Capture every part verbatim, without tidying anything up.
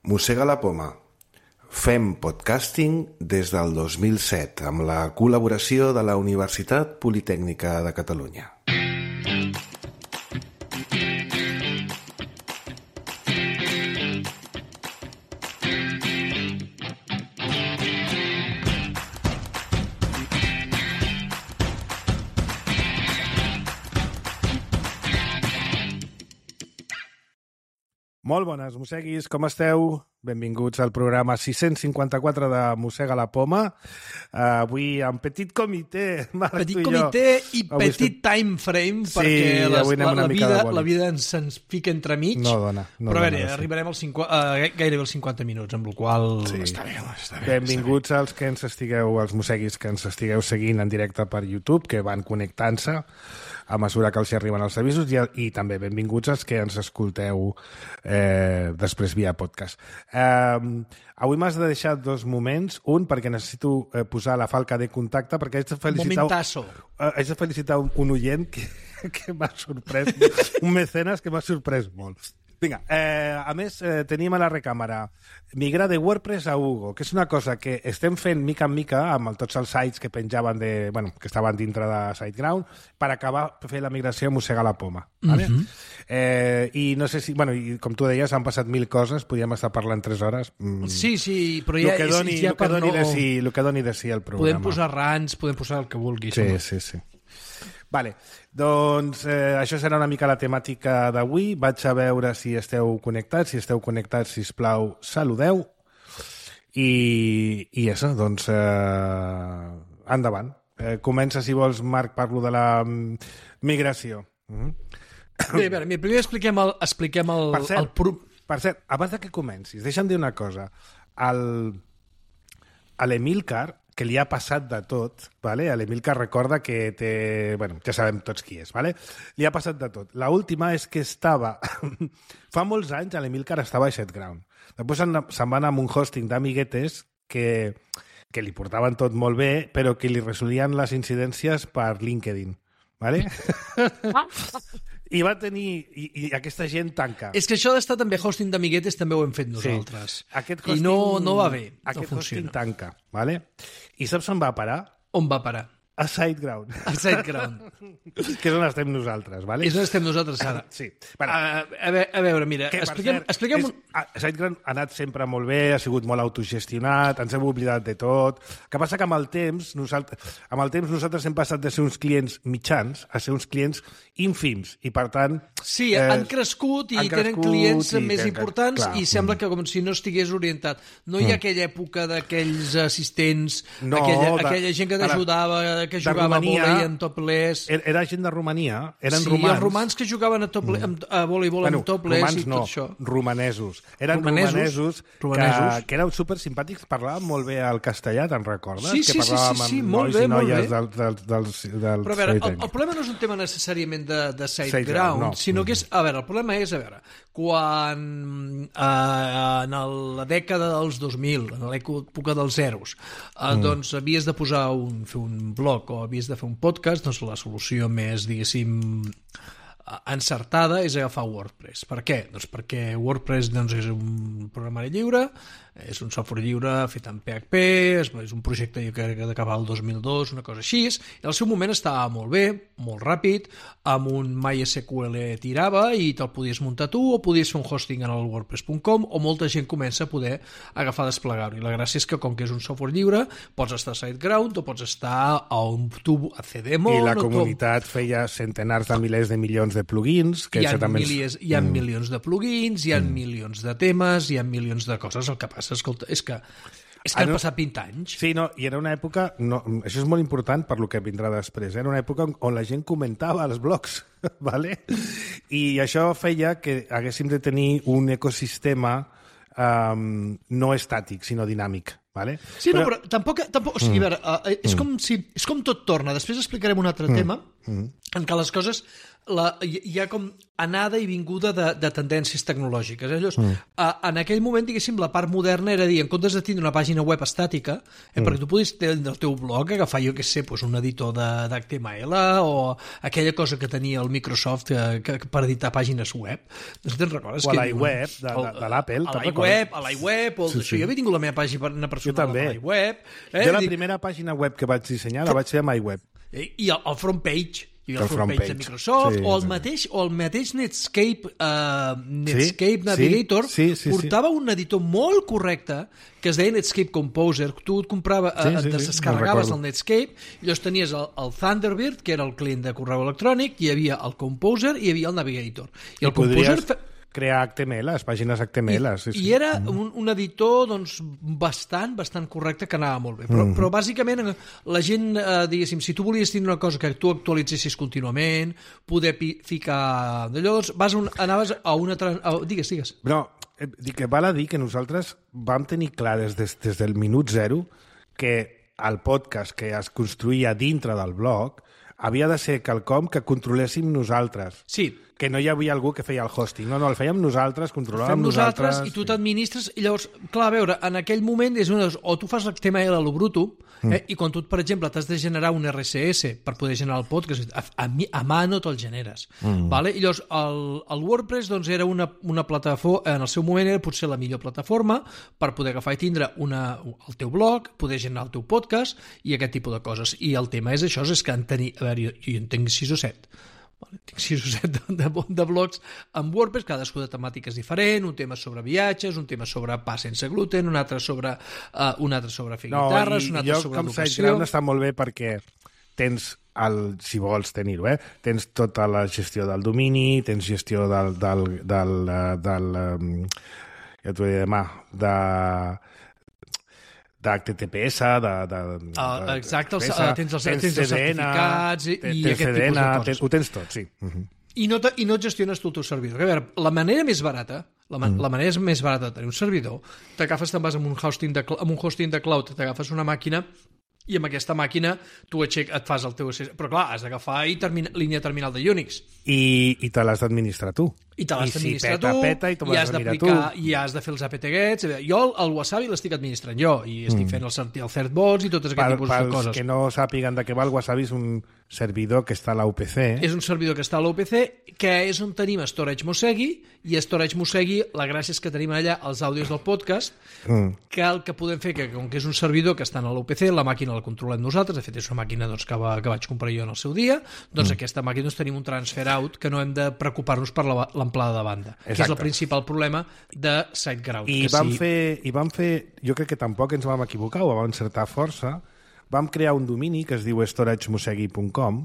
Mossega la poma. Fem podcasting des del dos mil set amb la col·laboració de la Universitat Politècnica de Catalunya. Molt bones, mosseguis, com esteu? Benvinguts al programa sis-cents cinquanta-quatre de Mossega la poma. Uh, avui en petit comitè, Marc, petit tu i jo. comitè i Avui petit estem... time frame, sí, perquè les, la, la, vida, la vida ens, ens fica entremig. No dona. No però a veure, dona, sí. arribarem als cinquanta, uh, gairebé als cinquanta minuts, amb la qual sí. està bé, està bé. Benvinguts als que ens estigueu, als mosseguis que ens estigueu seguint en directe per YouTube, que van connectant-se a mesura que els hi arriben els avisos, i, i també benvinguts als que ens escolteu eh, després via podcast. Eh, avui m'has de deixar dos moments. Un, perquè necessito eh, posar la falca de contacte, perquè haig de felicitar, Momentazo. Uh, haig de felicitar un, un oient que, que m'ha sorprès, un mecenes que m'ha sorprès molt. Vinga, eh, a més, eh, tenim a la recàmera migrar de WordPress a Hugo, que és una cosa que estem fent mica en mica amb el, tots els sites que penjaven de, bueno, que estaven dintre de SiteGround, per acabar de fer la migració a Mossega la poma. Vale? Mm-hmm. eh, I no sé si, bueno, i com tu deies, han passat mil coses, podríem estar parlant tres hores. Mm. Sí, sí, però ja, el que doni, és, ja el que per doni no... de sí, el que doni de sí el programa. Podem posar rants, podem posar el que vulguis. Sí, home. sí, sí. Vale, doncs eh, això serà una mica la temàtica d'avui. Vaig a veure si esteu connectats. Si esteu connectats, sisplau, saludeu. I, i això, doncs, eh, endavant. Eh, comença, si vols, Marc, parlo de la mm, migració. Mm-hmm. Bé, a veure, primer expliquem el... Expliquem el, per cert, el pro... per cert, abans de que comencis, deixa'm dir una cosa. El, a l'Emilcar, que li ha passat de tot, ¿vale? A l'Emilcar recorda que té... Bueno, ja sabem tots qui és, ¿vale? Li ha passat de tot. La última és que estava... Fa molts anys a l'Emilcar estava a SiteGround. Després se'n se va anar amb un hosting d'amiguetes que, que li portaven tot molt bé, però que li resolien les incidències per LinkedIn, ¿vale? I va tenir... I, i aquesta gent tanca. És que això d'estar també hosting d'amiguetes també ho hem fet nosaltres. Sí. Aquest hosting, I no, no va bé. Aquest no hosting funciona. tanca, ¿vale? I saps on va parar? On va parar? A SiteGround. A SiteGround. Que és on estem nosaltres, ¿vale? És on estem nosaltres ara. Sí. Bueno, a, a, veure, a veure, mira, que, expliquem... cert, expliquem un... és, SiteGround ha anat sempre molt bé, ha sigut molt autogestionat, ens hem oblidat de tot. El que passa que amb el temps, nosaltres, amb el temps nosaltres hem passat de ser uns clients mitjans a ser uns clients ínfims, i per tant... Sí, eh, han crescut i han tenen crescut clients i més tenen, importants clar, i sembla mm. que com si no estigués orientat. No hi ha Mm. aquella època d'aquells assistents, No, aquella, de- aquella gent que t'ajudava, que de jugava Romania, a vòlei en topless. Era gent de Romania, eren Sí, romans. els romans que jugaven a, tople, Mm. a voleibol Bueno, en topless romans i tot no, això. romanesos. Eren Romanesos, romanesos, romanesos. Que, que eren super simpàtics, parlaven molt bé el castellà, te'n recordes? Sí, sí, que sí, parlàvem sí, sí, amb molt nois bé, i molt noies bé. del, del, del, del Però a veure, el, Politècnic. el problema no és un tema necessàriament de, de SiteGround, SiteGround, no. sinó que és... A veure, el problema és, a veure, quan eh, en el, la dècada dels dos mil, en l'època dels zeros, eh, mm. doncs havies de posar un, fer un blog o havies de fer un podcast, doncs la solució més, diguéssim, encertada és agafar WordPress. Per què? Doncs perquè WordPress doncs, és un programari lliure, és un software lliure fet en P H P, és, és un projecte que ha d'acabar el dos mil dos, una cosa així, i al seu moment estava molt bé, molt ràpid, amb un MySQL tirava i te'l podies muntar tu, o podies fer un hosting en el WordPress punt com, o molta gent comença a poder agafar a desplegar-ho. I la gràcia és que, com que és un software lliure, pots estar a SiteGround o pots estar a un tub a Cdemon... I la o comunitat tu... feia centenars de milers de milions de plugins. Que hi ha, també... milies, hi ha mm. milions de plugins, hi ha mm. milions de temes, hi ha milions de coses. El que passa, escolta, és que, és que ah, han no? passat vint anys. Sí, no, i era una època... No, això és molt important per lo que vindrà després. Era una època on la gent comentava als blogs, ¿vale? I això feia que haguéssim de tenir un ecosistema um, no estàtic, sinó dinàmic. Vale? Sí, però... no, però tampoc... tampoc o sigui, mm. a veure, uh, és, mm. com si, és com tot torna. Després explicarem un altre mm. tema, Mm-hmm. En què les coses... La, hi ha com anada i vinguda de, de tendències tecnològiques. Eh? Llavors, mm. a, en aquell moment, diguéssim, la part moderna era dir, en comptes de tindre una pàgina web estàtica, eh, mm. perquè tu podies tenir el teu blog, agafar, jo què sé, pues, un editor d'H T M L o aquella cosa que tenia el Microsoft eh, que, per editar pàgines web. No sé si te'n recordes? O a l'iWeb, de, de, de l'Apple. A l'iWeb, a l'iWeb, o sí, sí. Jo havia tingut la meva pàgina personal a l'iWeb. Eh? Jo la primera pàgina web que vaig dissenyar la vaig fer amb iWeb. I el, el front page... i el, el front page de Microsoft, sí, o, el mateix, o el mateix Netscape, uh, Netscape sí, Navigator sí, sí, sí, portava sí. un editor molt correcte que es deia Netscape Composer. Tu et comprava, sí, sí, sí, descarregaves el Netscape, i llavors tenies el, el Thunderbird, que era el client de correu electrònic, hi havia el Composer i hi havia el Navigator. I, I el Composer... Composer... crear H T M L, les pàgines H T M L. I, sí, sí. i era un, un editor doncs, bastant, bastant correcte, que anava molt bé. Però, mm. però bàsicament la gent, eh, diguéssim, si tu volies tenir una cosa que tu actualitzessis contínuament, poder pi- ficar... Llavors vas un, anaves a una... A, digues, digues. No, dic que val a dir que nosaltres vam tenir clar des, des, des del minut zero que el podcast que es construïa dintre del blog havia de ser quelcom que controléssim nosaltres. Sí. Que no hi havia algú que feia el hosting. No, no, el fèiem nosaltres, controlàvem nosaltres. nosaltres. I tu t'administres. I llavors, clar, a veure, en aquell moment és una, o tu fas l'H T M L a lo bruto, eh, mm. i quan tu, per exemple, t'has de generar un R S S per poder generar el podcast, a, a, a mà no te'l generes. Mm. Vale? I llavors, el, el WordPress doncs, era una, una plataforma, en el seu moment era potser la millor plataforma per poder agafar i tindre una, el teu blog, poder generar el teu podcast i aquest tipus de coses. I el tema és això, és que en tenir, a veure, jo, jo en tenc sis o set. Vale, tinc sis o set de, de, de blogs amb WordPress, cadascú de temàtiques diferent, un tema sobre viatges, un tema sobre pa sense gluten, un altre sobre, uh, un altre sobre fer no, guitarres, un altre jo, sobre educació. educació. Jo, com està molt bé perquè tens, el, si vols tenir-ho, eh? tens tota la gestió del domini, tens gestió del... del, del, del, del um, ja t'ho diré demà, de... d'H T P S, de... de, de uh, exacte, els, uh, tens els, tens tens els certificats i, i aquest C D N, tipus de coses. Tens, ho tens tot, sí. Uh-huh. I no, te, I no et gestiones tu el teu servidor. A veure, la manera més barata, la, man, mm. la manera més barata de tenir un servidor, t'agafes, te'n vas amb un hosting de, amb un hosting de cloud, t'agafes una màquina i amb aquesta màquina tu aixec, et fas el teu... Però clar, has d'agafar i termina, línia terminal de Unix. I, i te l'has d'administrar tu. I te l'has d'administrar si peta, tu, peta, i, i has d'aplicar, i has de fer els apt-gets. Jo el, el Wasabi l'estic administrant jo, i estic mm. fent el, el certbots i totes aquestes tipus de coses. Pels que no sàpiguen de què va, el Wasabi és un servidor que està a la U P C. És un servidor que està a la U P C, que és on tenim Storage Mosegui, i a Storage Mosegui la gràcia és que tenim allà els àudios del podcast, mm. que el que podem fer, que com que és un servidor que està a la U P C, la màquina la controlem nosaltres, de fet és una màquina doncs, que, va, que vaig comprar jo en el seu dia, doncs mm. aquesta màquina doncs, tenim un transfer out que no hem de preocupar-nos per l'amplada de banda. Exacte. Que és el principal problema de SiteGround. I, que vam sí... fer, I vam fer, jo crec que tampoc ens vam equivocar, o vam encertar força, vam crear un domini que es diu storage mosegui punt com,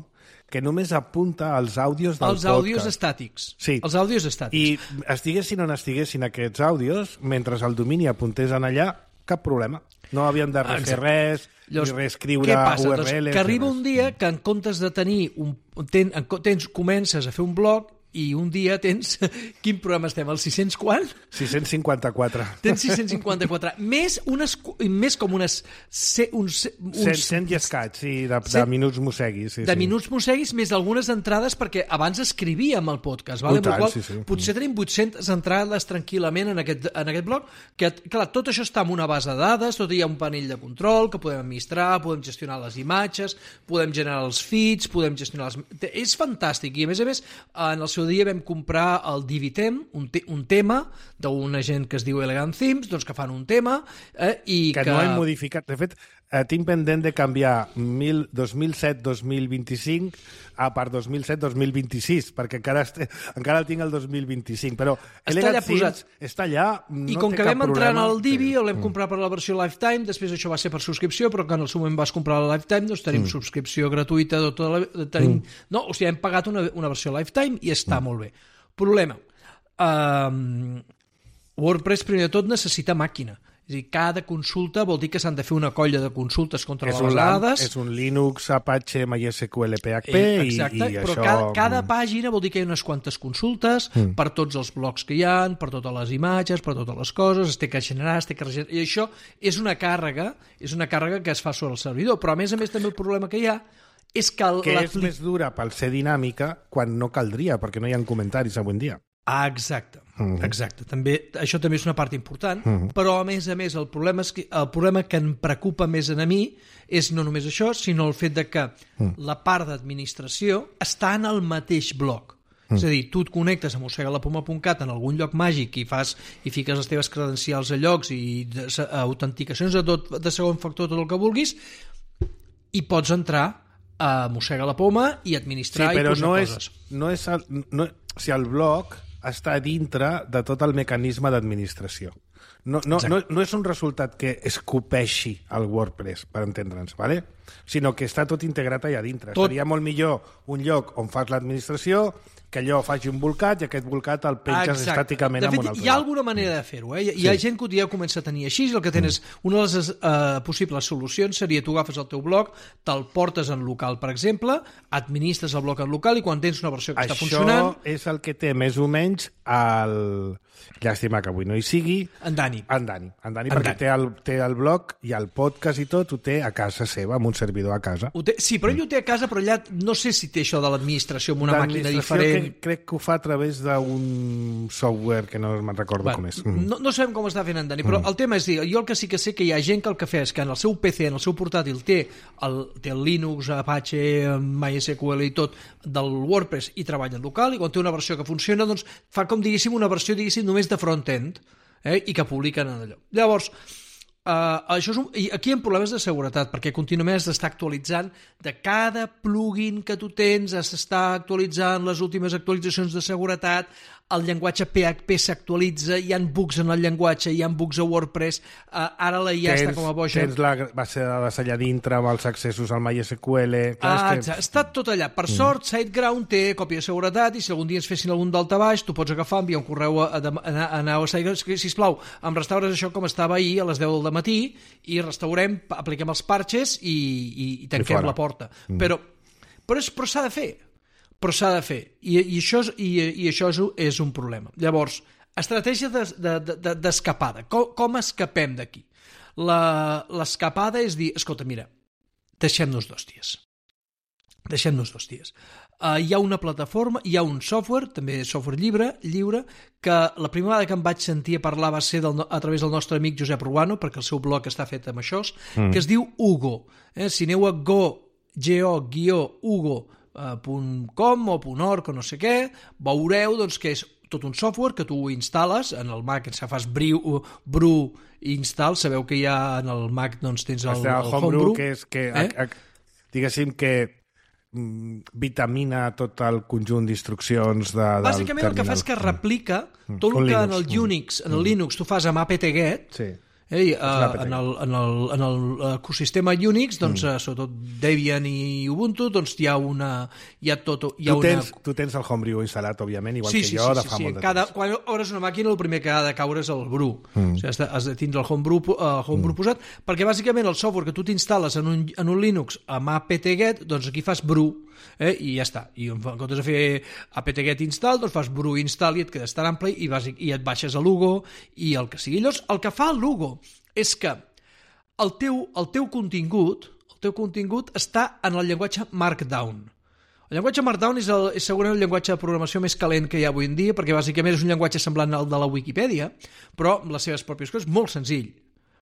que només apunta als àudios del els podcast. Els àudios estàtics. Sí. Els àudios estàtics. I estiguessin o no estiguessin aquests àudios, mentre el domini apuntés en allà, cap problema. No havíem de refer res, Llavors, ni reescriure què passa? U R Ls. Doncs que arriba un dia que en comptes de tenir un, ten, tens, comences a fer un blog i un dia tens... Quin programa estem? El sis-cents quant? sis-cents cinquanta-quatre. Tens sis-cents cinquanta-quatre. Més, unes, més com unes... Se, uns, uns, cent i escaig, sí, de, de minuts mosseguis. Sí, de sí. minuts mosseguis, més algunes entrades, perquè abans escrivíem el podcast. Vale? Tant, qual, sí, sí. Potser tenim vuit-centes entrades tranquil·lament en aquest, en aquest blog, que, clar, tot això està en una base de dades, tot hi ha un panell de control que podem administrar, podem gestionar les imatges, podem generar els feeds, podem gestionar les... És fantàstic, i a més a més, en el seu dia vam comprar el Divitem, un, te un tema d'una gent que es diu Elegant Themes, doncs que fan un tema eh, i que, que... no hem modificat. De fet, eh, tinc pendent de canviar mil, dos mil set dos mil vint-i-cinc a per dos mil set dos mil vint-i-sis, perquè encara, este, encara el tinc el dos mil vint-i-cinc, però Elegant Themes està allà, no I com té que cap vam entrar problema. en el Divi, sí. el vam comprar per la versió Lifetime, després això va ser per subscripció, però que en el seu moment vas comprar la Lifetime, doncs tenim mm. subscripció gratuïta, tota la, tenim, mm. no, o sigui, hem pagat una, una versió Lifetime i està mm. molt bé. Problema. Um, WordPress, primer de tot, necessita màquina. És a dir, cada consulta vol dir que s'han de fer una colla de consultes contra és les dades. És un Linux, Apache, MySQL, P H P eh, exacte, i, i però això... cada, cada pàgina vol dir que hi ha unes quantes consultes mm. per tots els blocs que hi ha, per totes les imatges, per totes les coses, es té que generar, es té que regenerar, i això és una càrrega, és una càrrega que es fa sobre el servidor, però a més a més també el problema que hi ha és que... El, que és més dura pel ser dinàmica quan no caldria, perquè no hi ha comentaris avui en dia. Ah, exacte, uh-huh. exacte. També, això també és una part important, uh-huh. però a més a més el problema, és que, el problema que em preocupa més a mi és no només això, sinó el fet de que uh-huh. la part d'administració està en el mateix bloc. Uh-huh. És a dir, tu et connectes a mossega la poma punt cat en algun lloc màgic i fas i fiques les teves credencials a llocs i de, a autenticacions de, tot, de segon factor, tot el que vulguis, i pots entrar a mossega la poma i administrar sí, i posar no coses. És, no és el, no, o sigui, el bloc està dintre de tot el mecanisme d'administració. No, no, no, no és un resultat que escopeixi el WordPress, per entendre'ns, ¿vale? Sinó que està tot integrat allà dintre. Tot... Seria molt millor un lloc on fas l'administració, que allò faci un volcat i aquest volcat el penges Exacte. Estàticament de fet, en un altre. Hi ha alguna manera de fer-ho. Eh? Hi, sí. hi ha gent que ja comença a tenir així, el que tens, mm. una de les uh, possibles solucions seria tu agafes el teu blog, te'l portes en local, per exemple, administres el blog en local i quan tens una versió que Això està funcionant... Això és el que té més o menys el... Llàstima que avui no hi sigui. En Dani. En Dani, en Dani en perquè Dani. Té, el, té el blog i el podcast i tot ho té a casa seva, amb un servidor a casa. Ho té, sí, però ell ho té a casa, però allà no sé si té això de l'administració amb una màquina diferent. Que crec que ho fa a través d'un software que no me'n recordo bueno, com és. Mm. No, no sabem com està fent en Dani, però mm. el tema és dir, jo el que sí que sé que hi ha gent que el que fa és que en el seu P C, en el seu portàtil, té el, té el Linux, Apache, MySQL i tot del WordPress i treballa en local, i quan té una versió que funciona, doncs fa com diguéssim una versió diguéssim només de front-end, eh, i que publiquen en allò. Llavors, Uh, això és un, i aquí hi ha problemes de seguretat perquè contínuament has d'estar actualitzant de cada plugin que tu tens, has d'estar actualitzant les últimes actualitzacions de seguretat, el llenguatge P H P s'actualitza, hi ha bugs en el llenguatge, hi ha bugs a WordPress, uh, ara la I A tens, està com a boja. Tens la base de dades allà dintre amb els accessos al MySQL... Ah, que... està tot allà. Per mm. sort, SiteGround té còpia de seguretat i si algun dia ens fessin algun daltabaix, tu pots agafar, enviar un correu a, a, a, a, a SiteGround, sisplau, em restaures això com estava ahir a les deu del matí i restaurem, apliquem els parches i, i, i tanquem I la porta. Mm. Però, però, és, però s'ha de fer. Però s'ha de fer. I, i, això, és, i, i això és, és un problema. Llavors, estratègia d'escapada. De, de, de, com, com escapem d'aquí? L'escapada és dir, escolta, mira, deixem-nos dos dies. Deixem-nos dos dies. Uh, hi ha una plataforma, hi ha un software, també software lliure, lliure, que la primera vegada que em vaig sentir a parlar va ser del, a través del nostre amic Josep Ruano, perquè el seu blog està fet amb això, mm. que es diu Hugo. Eh? Si aneu a go, go-hugo, punt com o punt org o no sé què, veureu doncs, que és tot un software que tu instal·les en el Mac, ens fas bru, bru install, sabeu que hi ha en el Mac doncs tens el, el, el Homebrew, que és que, eh? a, a, diguéssim que mm, vitamina tot el conjunt d'instruccions de, del bàsicament el que fa és que replica mm. tot el que Linux. En el Unix, en el mm. Linux tu fas amb apt-get, sí. Eh, uh, en, el, en, el, en el ecosistema Unix, doncs, mm. uh, sobretot Debian i Ubuntu, doncs hi ha una... Hi ha tot, hi ha tu, una... tens, tu tens el Homebrew instal·lat, òbviament, igual sí, que sí, jo, sí, de sí, fa sí. molt de Cada, temps. quan obres una màquina, el primer que ha de caure és el brew. Mm. O sigui, has de, has de tindre el Homebrew, uh, homebrew mm. posat, perquè bàsicament el software que tu t'instal·les en, un, en un Linux amb apt-get, doncs aquí fas brew, eh, i ja està. I en comptes de fer apt-get install, doncs fas brew install i et quedes tan ample i, vas, i et baixes a l'Hugo i el que sigui. Llavors, el que fa l'Hugo és que el teu, el teu contingut el teu contingut està en el llenguatge Markdown. El llenguatge Markdown és, el, és segurament el llenguatge de programació més calent que hi ha avui en dia, perquè bàsicament és un llenguatge semblant al de la Wikipedia, però amb les seves pròpies coses, molt senzill.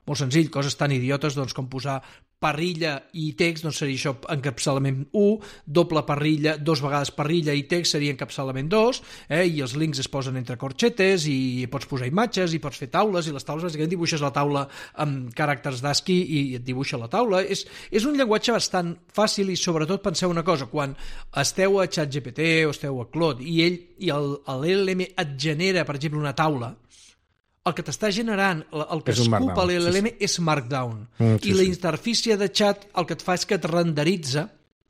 Molt senzill, coses tan idiotes doncs, com posar parrilla i text, doncs seria això encapçalament u, doble parrilla, dos vegades parrilla i text seria encapçalament dos, eh? I els links es posen entre corxetes i pots posar imatges i pots fer taules, i les taules bàsicament dibuixes la taula amb caràcters d'ASCII i et dibuixa la taula. És, és un llenguatge bastant fàcil i sobretot penseu una cosa, quan esteu a ChatGPT o esteu a Claude i ell i l'L L M et genera, per exemple, una taula, el que t'està generant, el que escupa l'L L M sí, sí. és Markdown. Mm, sí, I la interfície de chat el que et fa és que et renderitza,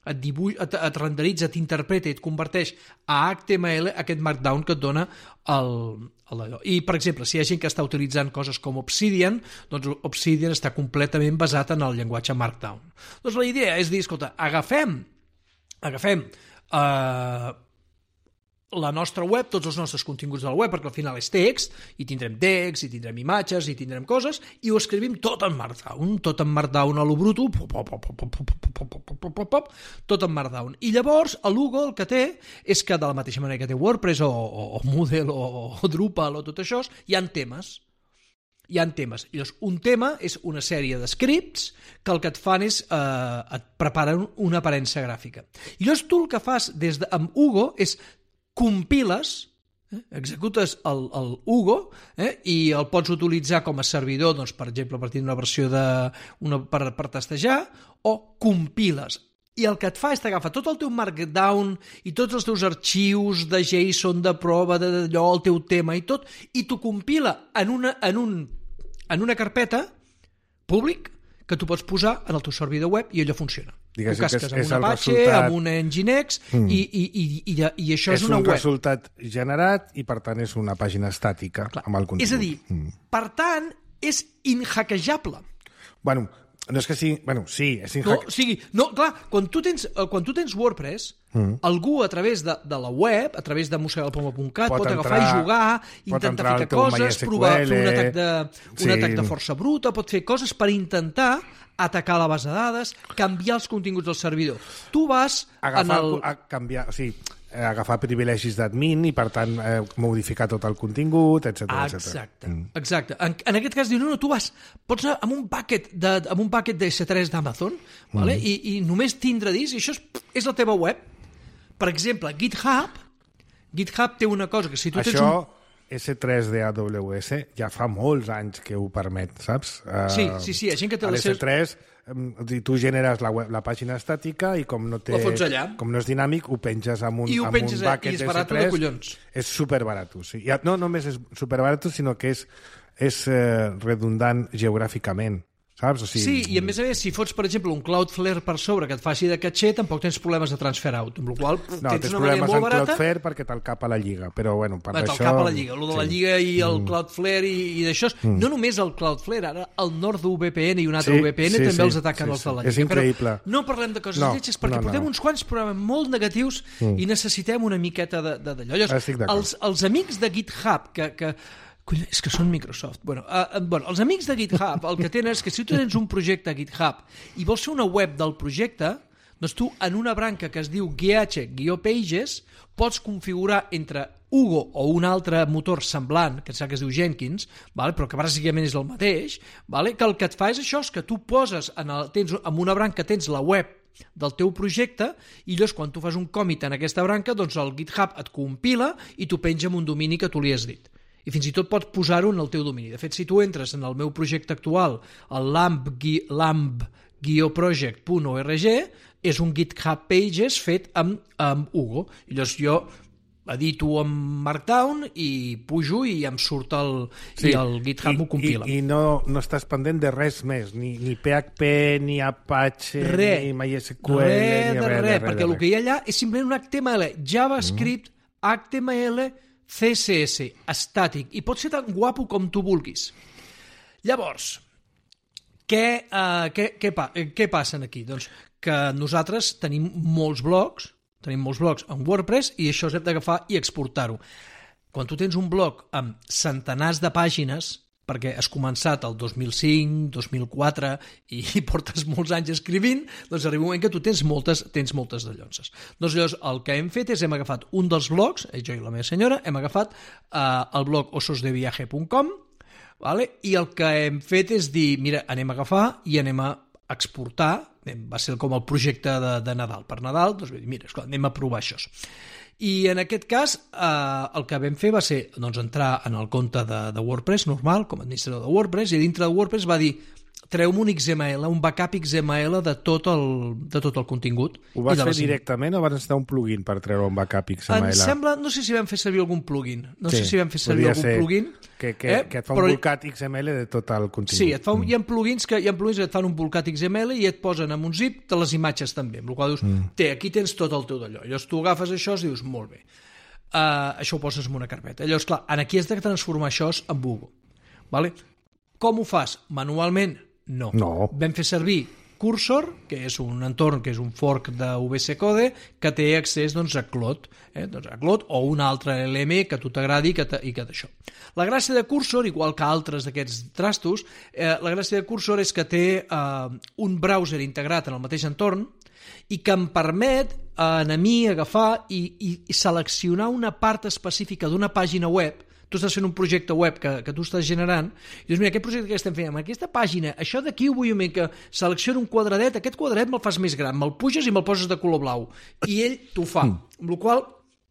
et, dibuix, et, et renderitza, t'interpreta i et converteix a H T M L aquest Markdown que et dona el, el allò. I, per exemple, si hi ha gent que està utilitzant coses com Obsidian, doncs Obsidian està completament basat en el llenguatge Markdown. Doncs la idea és dir, escolta, agafem, agafem... Uh, la nostra web, tots els nostres continguts de la web, perquè al final és text, i tindrem text, i tindrem imatges, i tindrem coses, i ho escrivim tot en Markdown, tot en Markdown a lo bruto, tot en Markdown. I llavors, a l'Hugo el que té és que, de la mateixa manera que té WordPress, o, o, o Moodle, o, o Drupal, o tot això, hi ha temes. Hi ha temes. I llavors, un tema és una sèrie de scripts que el que et fan és eh, et preparen una aparença gràfica. I llavors tu el que fas des de, amb Hugo és compiles, eh, executes el, el Hugo eh, i el pots utilitzar com a servidor, doncs, per exemple, a partir d'una versió de, una, per, per testejar, o compiles. I el que et fa és t'agafa tot el teu Markdown i tots els teus arxius de JSON, de prova, d'allò, el teu tema i tot, i t'ho compila en una, en, un, en una carpeta públic que tu pots posar en el teu servidor web i allò funciona. Diguéssim ho casques és, amb és un Apache, resultat... amb un Nginx, mm. i, i, i, i, i això és, és una un web. És un resultat generat i, per tant, és una pàgina estàtica. Clar. Amb el contingut. És a dir, mm. per tant, és inhackejable. Bueno, no és que sigui... Bueno, sí, és inhack... No, o sigui, no, clar, quan tu tens, quan tu tens WordPress, mm. algú a través de, de la web, a través de mossegar el poma punt cat, pot, pot agafar i jugar, intentar ficar coses, provar, fer un atac, de, un sí. atac de força bruta, pot fer coses per intentar atacar la base de dades, canviar els continguts del servidor. Tu vas agafar, en el... a canviar, o sigui, agafar privilegis d'admin i, per tant, eh, modificar tot el contingut, etcètera. Exacte, mm. exacte. En, en aquest cas, diu, no, no, tu vas, pots anar amb un bucket de, amb un bucket de esse tres d'Amazon, mm. vale? I, i només tindre disc, i això és, és la teva web. Per exemple, GitHub, GitHub té una cosa que si tu això... tens un... esse tres de A W S ja fa molts anys que ho permet, saps? Uh, sí, sí, sí, hi ha gent que té les esse tres, um, tu generes la, web, la pàgina estàtica i com no té, la fots allà. Com no és dinàmic, ho penges amb un, I ho amb penges un bucket i és d'esse tres. barat de collons. És superbarat. Sí. No només és superbarat, sinó que és, és uh, redundant geogràficament. Saps? O sigui... Sí, i a més a més, si fots, per exemple, un Cloudflare per sobre que et faci de caché, tampoc tens problemes de transfer out, amb la qual cosa no, tens tens una manera molt barata. Cloudflare perquè te'l cap a la lliga, però bueno, per bueno, això... Te'l cap a la lliga, el de la sí. lliga i el mm. Cloudflare i, i d'això, mm. no només el Cloudflare, ara el NordVPN i un altre sí, V P N sí, també sí, els ataquen sí, els de la sí. lliga. És increïble. Però no parlem de coses no, lletges perquè no, no. portem uns quants programes molt negatius mm. i necessitem una miqueta d'allò. Els, els amics de GitHub que... que Collons, és que són Microsoft. Bueno, uh, bueno, els amics de GitHub el que tenen és que si tu tens un projecte a GitHub i vols fer una web del projecte, doncs tu en una branca que es diu gh-pages pots configurar entre Hugo o un altre motor semblant, que sap que es diu Jenkins, vale? Però que bàsicament és el mateix, vale? Que el que et fa és això, és que tu poses en, el, tens, en una branca tens la web del teu projecte i llavors quan tu fas un commit en aquesta branca, doncs el GitHub et compila i t'ho penja en un domini que tu li has dit. I fins i tot pots posar-ho en el teu domini. De fet, si tu entres en el meu projecte actual, el lamb project punt org, és un GitHub Pages fet amb, amb Hugo. I llavors jo edito amb Markdown i pujo i em surt el, sí, i el GitHub m'ho compila. I, i no, no estàs pendent de res més, ni, ni P H P, ni Apache, re, ni MySQL, re, ni de res, res, res, perquè res. el que hi ha allà és simplement un H T M L, JavaScript, mm. H T M L, C S S, estàtic, i pot ser tan guapo com tu vulguis. Llavors, què, uh, què, què, pa, què passa aquí? Doncs que nosaltres tenim molts blogs, tenim molts blogs en WordPress i això hem d'agafar i exportar-ho. Quan tu tens un blog amb centenars de pàgines, perquè has començat el dos mil cinc, dos mil quatre i portes molts anys escrivint, doncs arriba un moment que tu tens moltes, tens moltes de llonces. Doncs llavors el que hem fet és hem agafat un dels blogs, jo i la meva senyora, hem agafat eh, el blog ososdeviaje punt com, vale? I el que hem fet és dir, mira, anem a agafar i anem a exportar, va ser com el projecte de, de Nadal. Per Nadal, doncs mira, esclar, anem a provar això. I en aquest cas eh, el que vam fer va ser doncs, entrar en el compte de, de WordPress normal, com a administrador de WordPress, i dintre de WordPress va dir treu-me un X M L, un backup X M L de tot el, de tot el contingut. Ho vas fer les... directament o vas necessitar un plugin per treure un backup X M L? Em sembla, no sé si vam fer servir algun plugin, no sí, sé si vam fer servir algun plugin. Que, que, eh? que et fa un però... volcat X M L de tot el contingut. Sí, et fa un... mm. hi ha plugins que hi ha plugins que et fan un volcat X M L i et posen en un zip de les imatges també, amb la qual dius, mm. té, aquí tens tot el teu d'allò. Llavors tu agafes això i dius, molt bé. Uh, això ho poses en una carpeta. Llavors, clar, aquí has de transformar això en Hugo. Vale? Com ho fas? Manualment? No. no. Vam fer servir Cursor, que és un entorn que és un fork de V S Code, que té accés doncs, a Cloud, eh? doncs a Cloud o un altre L M que a tu t'agradi que i que d'això. La gràcia de Cursor, igual que altres d'aquests trastos, eh, la gràcia de Cursor és que té eh, un browser integrat en el mateix entorn i que em permet eh, a mi agafar i, i, i seleccionar una part específica d'una pàgina web. Tu estàs fent un projecte web que, que tu estàs generant i dius, mira, aquest projecte que estem fent amb aquesta pàgina, això d'aquí ho vull una mica, selecciona un quadradet, aquest quadradet me'l fas més gran, me'l puges i me'l poses de color blau. I ell t'ho fa. Mm. Amb la qual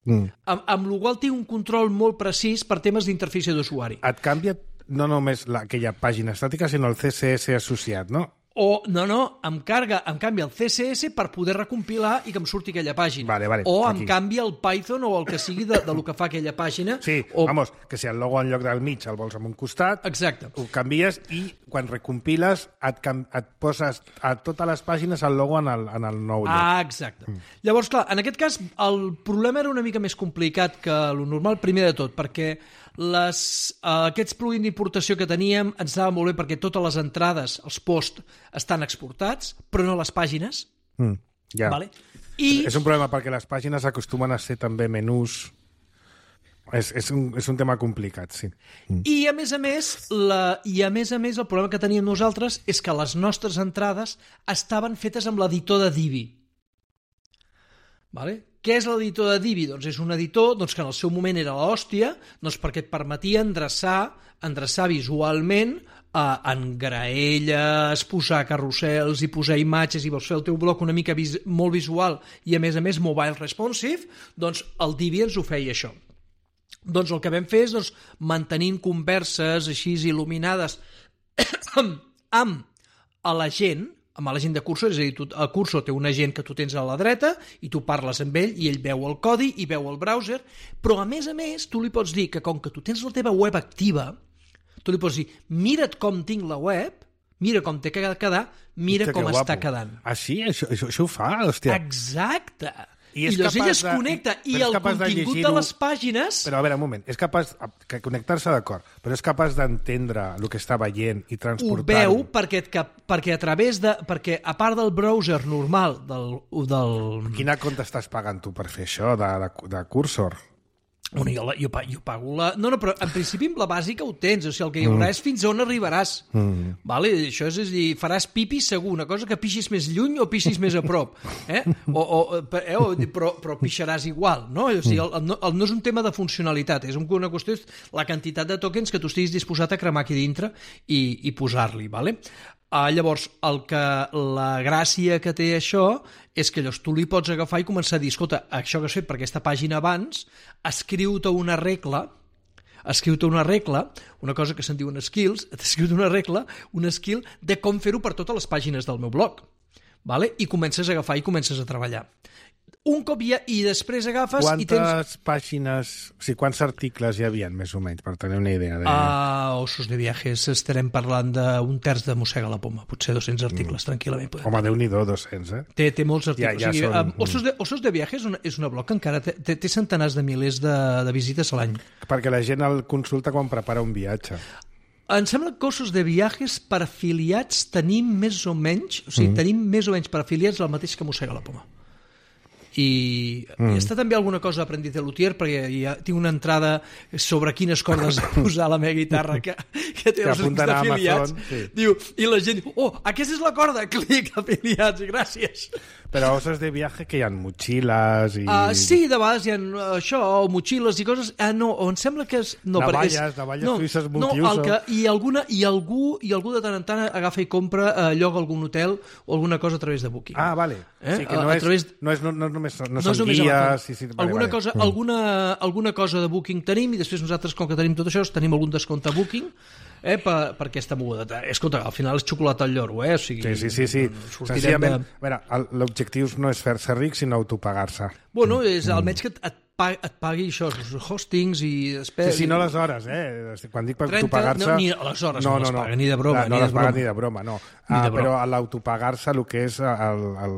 mm. amb, amb la qual té un control molt precís per temes d'interfície d'usuari. Et canvia no només la, aquella pàgina estàtica, sinó el C S S associat, no? O, no, no, em carga, em canvia el C S S per poder recompilar i que em surti aquella pàgina. Vale, vale, o aquí. em canvia el Python o el que sigui de, de lo que fa aquella pàgina. Sí, o... vamos, que si el logo en lloc del mig el vols en un costat, exacte. Ho canvies i quan recompiles et, et poses a totes les pàgines el logo en el, en el nou lloc. Ah, exacte. Mm. Llavors, clar, en aquest cas el problema era una mica més complicat que el normal, primer de tot, perquè les, uh, aquests plugins d'importació que teníem ens anava molt bé perquè totes les entrades, els posts, estan exportats, però no les pàgines. Mm, ja. Vale? I... És un problema perquè les pàgines acostumen a ser també menús. És, és, un, és un tema complicat, sí. Mm. I a més a més, la, i a més a més el problema que teníem nosaltres és que les nostres entrades estaven fetes amb l'editor de Divi. Vale? Què és l'editor de Divi? Doncs és un editor doncs, que en el seu moment era l'hòstia, doncs perquè et permetia endreçar, endreçar visualment eh, en graelles, posar carrusels i posar imatges i vols fer el teu bloc una mica vis molt visual i a més a més mobile responsive, doncs el Divi ens ho feia això. Doncs el que vam fer és doncs, mantenint converses així il·luminades amb a la gent, amb la gent de Cursor, és a dir, tu, el Cursor té un agent que tu tens a la dreta i tu parles amb ell i ell veu el codi i veu el browser, però a més a més tu li pots dir que com que tu tens la teva web activa, tu li pots dir, mira't com tinc la web, mira com té que quedar, mira Hòstia, com que està guapo. quedant. Ah, sí? Això, això, això ho fa? Hòstia. Exacte! I, I llavors ell es de... connecta i però el contingut de, de les pàgines... Però a veure, un moment, és capaç que connectar-se d'acord, però és capaç d'entendre el que està veient i transportar-ho. Ho veu perquè, que, perquè a través de... Perquè a part del browser normal del... del... Quina compte estàs pagant tu per fer això de, de, de Cursor? Bueno, jo, la, jo, jo pago la... No, no, però en principi amb la bàsica ho tens, o sigui, el que hi haurà mm. és fins on arribaràs. Mm. Vale? Això és, és a dir, faràs pipi segur, una cosa que pixis més lluny o pixis més a prop. Eh? O, o, eh? o, però, però pixaràs igual, no? O sigui, el, el, el, no és un tema de funcionalitat, és una qüestió és la quantitat de tokens que tu estiguis disposat a cremar aquí dintre i, i posar-li, vale? Uh, llavors, el que, la gràcia que té això és que llavors tu li pots agafar i començar a dir, escolta, això que has fet per aquesta pàgina abans, escriu-te una regla, escriu-te una regla, una cosa que se'n diuen skills, escriu-te una regla, un skill de com fer-ho per totes les pàgines del meu blog. Vale? I comences a agafar i comences a treballar. Un cop ja, i després agafes quantes i tens... Quantes pàgines, o sigui, quants articles hi havia, més o menys, per tenir una idea? De... Uh, Ossos de viajes, estarem parlant d'un terç de Mossega la Poma, potser dos-cents articles, mm. tranquil·lament. Podem. Home, Déu-n'hi-do, dos-cents, eh? Té, té molts articles. Ja, ja o sigui, són... um, Ossos, de, Ossos de viajes és una, és una blog que encara té, té, té centenars de milers de, de visites a l'any. Perquè la gent el consulta quan prepara un viatge. Em sembla que Ossos de viajes per afiliats tenim més o menys, o sigui, mm. tenim més o menys per afiliats el mateix que Mossega la Poma. I mm. està també alguna cosa Aprendiz de Luthier perquè ja tinc una entrada sobre quines cordes posar la meva guitarra que, que té que els links d'afiliats. Sí. Diu, i la gent diu, oh, aquesta és la corda, clic, afiliats, gràcies. Però Ossos de viaje que hi ha motxilles i... Uh, sí, de vegades hi ha uh, això, o motxilles i coses... Ah, no, em sembla que és... No, navalles, és... navalles no, suïsses no, multiuso. El que, i, alguna, i, algú, I algú de tant en tant agafa i compra uh, lloc a algun hotel o alguna cosa a través de Booking. Ah, vale. Eh? Sí, que no, a, és, a través... no, és, no, no, només, no, no són guies... Sí, sí, vale, alguna, vale. Cosa, mm. alguna, alguna cosa de Booking tenim i després nosaltres, com que tenim tot això, tenim algun descompte a Booking eh, per, per aquesta moguda. Escolta, al final és xocolata al lloro, eh? O sigui, sí, sí, sí. sí. Senzillament, de... a veure, l'objectiu no és fer-se ric, sinó autopagar-se. Bueno, és mm. almenys que et pagui, et pagui això, els hostings i després... Sí, sí, no les hores, eh? Quan dic per autopagar-se... No, ni les hores no, no, no les no, paga, ni de broma. No, no ni les de paga broma. ni de broma, no. Ni de ah, broma. Però a l'autopagar-se el que és el... el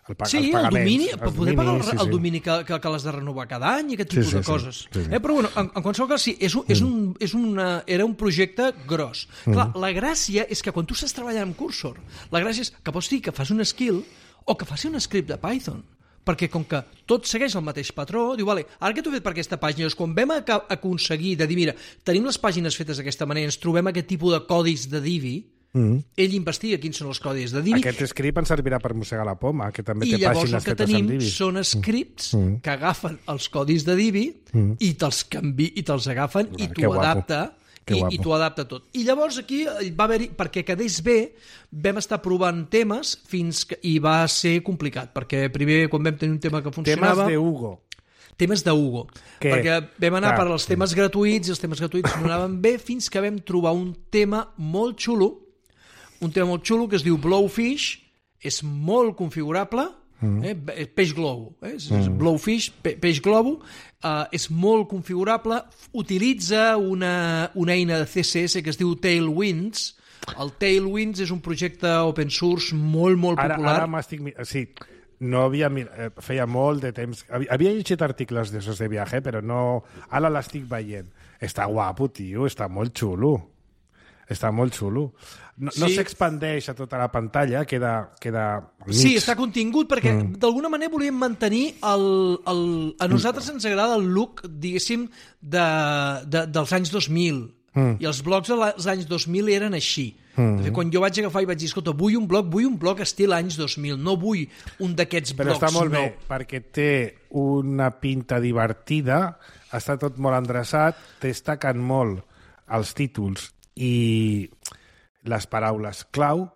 El pa sí, els el domini, els per poder pagar el, sí, sí. el domini que, que, que l'has de renovar cada any i aquest tipus Sí, sí, de coses. sí, sí, sí. Eh, però bueno, en, en qualsevol cas, sí, és un, és un, és una, era un projecte gros. Clar, Mm. la gràcia és que quan tu estàs treballant amb Cursor, la gràcia és que pots dir que fas un skill o que faci un script de Python. Perquè com que tot segueix el mateix patró, diu, vale, ara que t'ho he fet per aquesta pàgina, doncs quan vam ac aconseguir de dir, mira, tenim les pàgines fetes d'aquesta manera, ens trobem aquest tipus de codis de Divi, mm. ell investiga quins són els codis de Divi. Aquest script ens servirà per mossegar la poma, que també I té llavors pàgines el que fetes tenim amb Divi. són scripts mm. que agafen els codis de Divi mm. i te'ls canvi i te'ls agafen i t'ho adapta i, i t'ho adapta tot. I llavors aquí va haver-hi, perquè quedés bé, vam estar provant temes fins que i va ser complicat, perquè primer quan vam tenir un tema que funcionava... Temes de Hugo. Temes de Hugo. Que, perquè vam anar clar, per als temes gratuïts i els temes gratuïts no anaven bé fins que vam trobar un tema molt xulo, un tema molt xulo que es diu Blowfish, és molt configurable, mm. eh? peix globo, eh? és mm. Blowfish, pe peix globo, uh, és molt configurable, utilitza una, una eina de C S S que es diu Tailwinds. El Tailwinds és un projecte open source molt, molt popular. Ara, ara m'estic... Sí, no havia... Feia molt de temps... Havia llegit articles d'aixòs de viatge, però no... Ara l'estic veient. Està guapo, tio, està molt xulo. Està molt xulo. No, sí. no s'expandeix a tota la pantalla, queda, queda mig. Sí, està contingut, perquè mm. d'alguna manera volíem mantenir el, el... A nosaltres ens agrada el look, diguéssim, de, de, dels anys dos mil. Mm. I els blocs dels anys dos mil eren així. Mm. De fet, quan jo vaig agafar i vaig dir, escolta, vull un bloc, vull un bloc estil anys dos mil, no vull un d'aquests blocs. Però està molt no. bé, perquè té una pinta divertida, està tot molt endreçat, destaquen molt els títols i les paraules clau,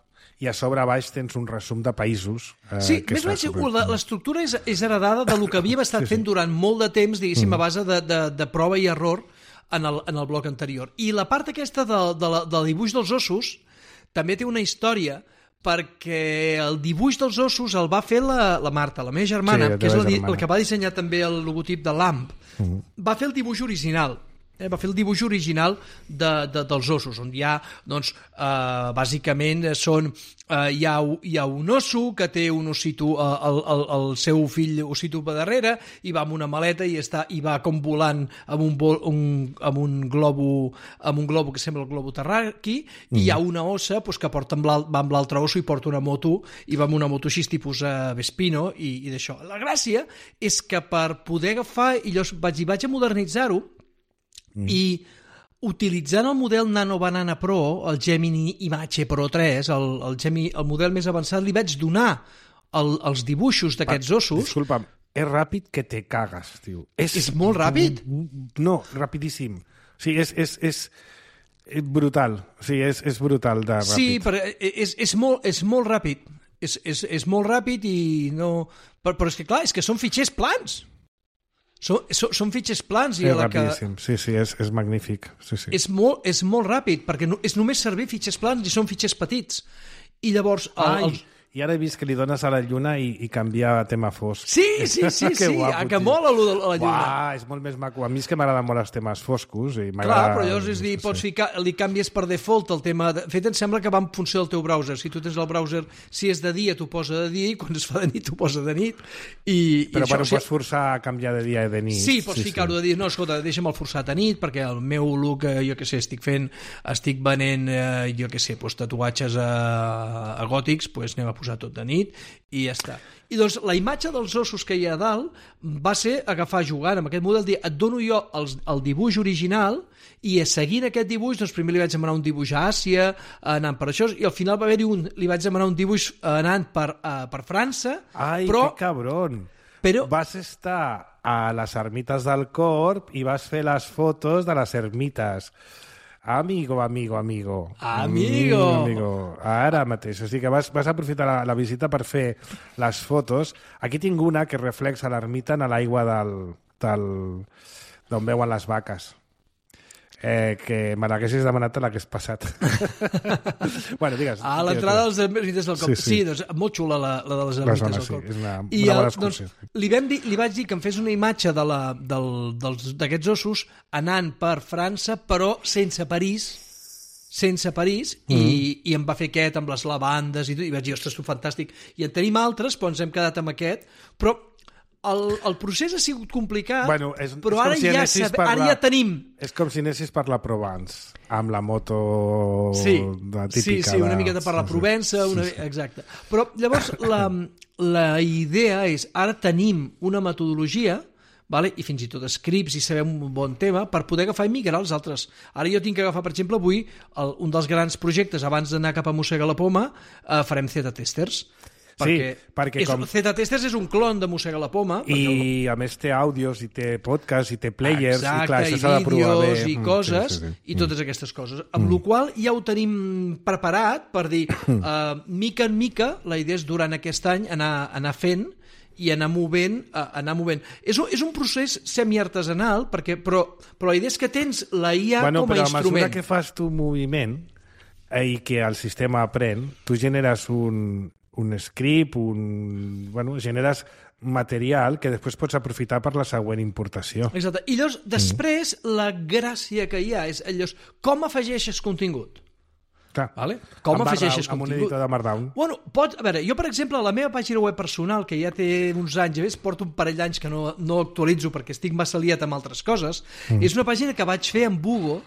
i a sobre a baix tens un resum de països. Eh, sí, que més o menys super... l'estructura és, és heredada del que havíem estat sí, sí. fent durant molt de temps, diguéssim, mm. a base de, de, de prova i error en el, en el bloc anterior. I la part aquesta de, de, la, del dibuix dels ossos també té una història, perquè el dibuix dels ossos el va fer la, la Marta, la meva germana, sí, que és la, germana. el que va dissenyar també el logotip de l'A M P. Mm. Va fer el dibuix original. Eh, va fer el dibuix original de, de, dels ossos, on hi ha, doncs, eh, bàsicament són, eh, hi, ha, hi ha un osso que té un ossito, eh, el, el, el seu fill ossito per darrere, i va amb una maleta i, està, i va com volant amb un, vol, un, amb un globo amb un globo que sembla el globo terraqui, mm. i hi ha una ossa pues, que porta amb va amb l'altre osso i porta una moto, i va amb una moto així tipus eh, Vespino, i, i d'això. La gràcia és que per poder agafar, i jo vaig, i vaig a modernitzar-ho, Mm. i utilitzant el model Nano Banana Pro, el Gemini Image Pro tres, el, el, Gemini, el model més avançat, li vaig donar el, els dibuixos d'aquests ossos. Disculpa'm, és ràpid que te cagues, tio. És, és molt ràpid? No, rapidíssim. O sigui, és, és, és, és brutal. O sigui, és, és brutal de ràpid. Sí, però és, és, molt, és molt ràpid. És, és, és molt ràpid i no... Però, però és que, clar, és que són fitxers plans. Són, són fitxers plans i és la que... rapidíssim, sí, sí, és, és magnífic. Sí, sí. És, molt, és molt ràpid, perquè no, és només servir fitxers plans i són fitxers petits. I llavors... El, Ai, i ara he vist que li dones a la lluna i, i canvia a tema fosc. Sí, sí, sí, sí, guapo, que mola allò de la lluna. Uah, és molt més maco. A mi és que m'agraden molt els temes foscos. I clar, però llavors és dir, pots ficar, li canvies per default el tema... De... Fet, em sembla que va en funció del teu browser. Si tu tens el browser, si és de dia, t'ho posa de dia, i quan es fa de nit, t'ho posa de nit. I, però i això, bueno, o sigui... pots forçar a canviar de dia i de nit. Sí, pots sí, ficar-ho sí. de dia. No, escolta, deixa'm el forçat a nit, perquè el meu look, eh, jo què sé, estic fent, estic venent, eh, jo què sé, doncs, tatuatges a, a gòtics, doncs anem a posar tot de nit, i ja està. I doncs la imatge dels ossos que hi ha a dalt va ser agafar jugant amb aquest model, dir, et dono jo el, el dibuix original i seguint aquest dibuix, doncs primer li vaig demanar un dibuix a Àsia, anant per això, i al final va haver-hi un, li vaig demanar un dibuix anant per, uh, per França. Ai, però, que cabron! Però, vas estar a les ermites del Corp i vas fer les fotos de les ermites. Amigo, amigo, amigo. Amigo. Mm, amigo. Ara mateix. O sigui que vas, vas aprofitar la, la visita per fer les fotos. Aquí tinc una que reflexa l'ermita en l'aigua del, del, d'on veuen les vaques. Eh, que me l'haguessis demanat a l'hagués passat. Bueno, digues. A l'entrada dels ermites del Corp. Sí, sí. sí, doncs molt xula la, la de les ermites del Corp. Sí, és una, I una el, bona excursió. Doncs, li, vam dir, li vaig dir que em fes una imatge de la, del, dels, d'aquests ossos anant per França, però sense París, sense París, mm. i, i em va fer aquest amb les lavandes i, tot, i vaig dir, ostres, tu, fantàstic. I en tenim altres, però ens hem quedat amb aquest, però el, el procés ha sigut complicat, bueno, és, però és ara, si ja, sabe, ara la, ja tenim... És com si anessis per la Provence, amb la moto sí, de típica. Sí, sí, una miqueta per la Provença, una... sí, sí. Exacte. Però llavors la, la idea és, ara tenim una metodologia, vale? I fins i tot scripts i sabem un bon tema per poder agafar i migrar els altres. Ara jo tinc que agafar, per exemple, avui el, un dels grans projectes, abans d'anar cap a Mossega la Poma, eh, farem Z-testers. Perquè, sí, perquè és, com... Z-testers és un clon de Mossega la Poma. I el... a més té àudios, i té podcasts, i té players, exacte, i clar, això s'ha de provar bé. I coses, sí, sí, sí. I totes aquestes coses. Amb mm. la qual ja ho tenim preparat per dir, uh, mica en mica, la idea és durant aquest any anar, anar fent i anar movent, uh, anar movent. És un, és un procés semiartesanal, perquè, però, però la idea és que tens la I A bueno, com a però instrument. A mesura que fas tu moviment eh, i que el sistema aprèn, tu generes un, un script, un, bueno, generes material que després pots aprofitar per la següent importació. Exacte. I llavors, després, mm. la gràcia que hi ha és llavors, com afegeixes contingut? Clar. Vale? Com amb afegeixes Markdown, contingut? Amb un editor de Markdown. Bueno, pots, a veure, jo, per exemple, a la meva pàgina web personal, que ja té uns anys, ja ves, porto un parell d'anys que no, no actualitzo perquè estic massa liat amb altres coses, mm. és una pàgina que vaig fer amb Bugo,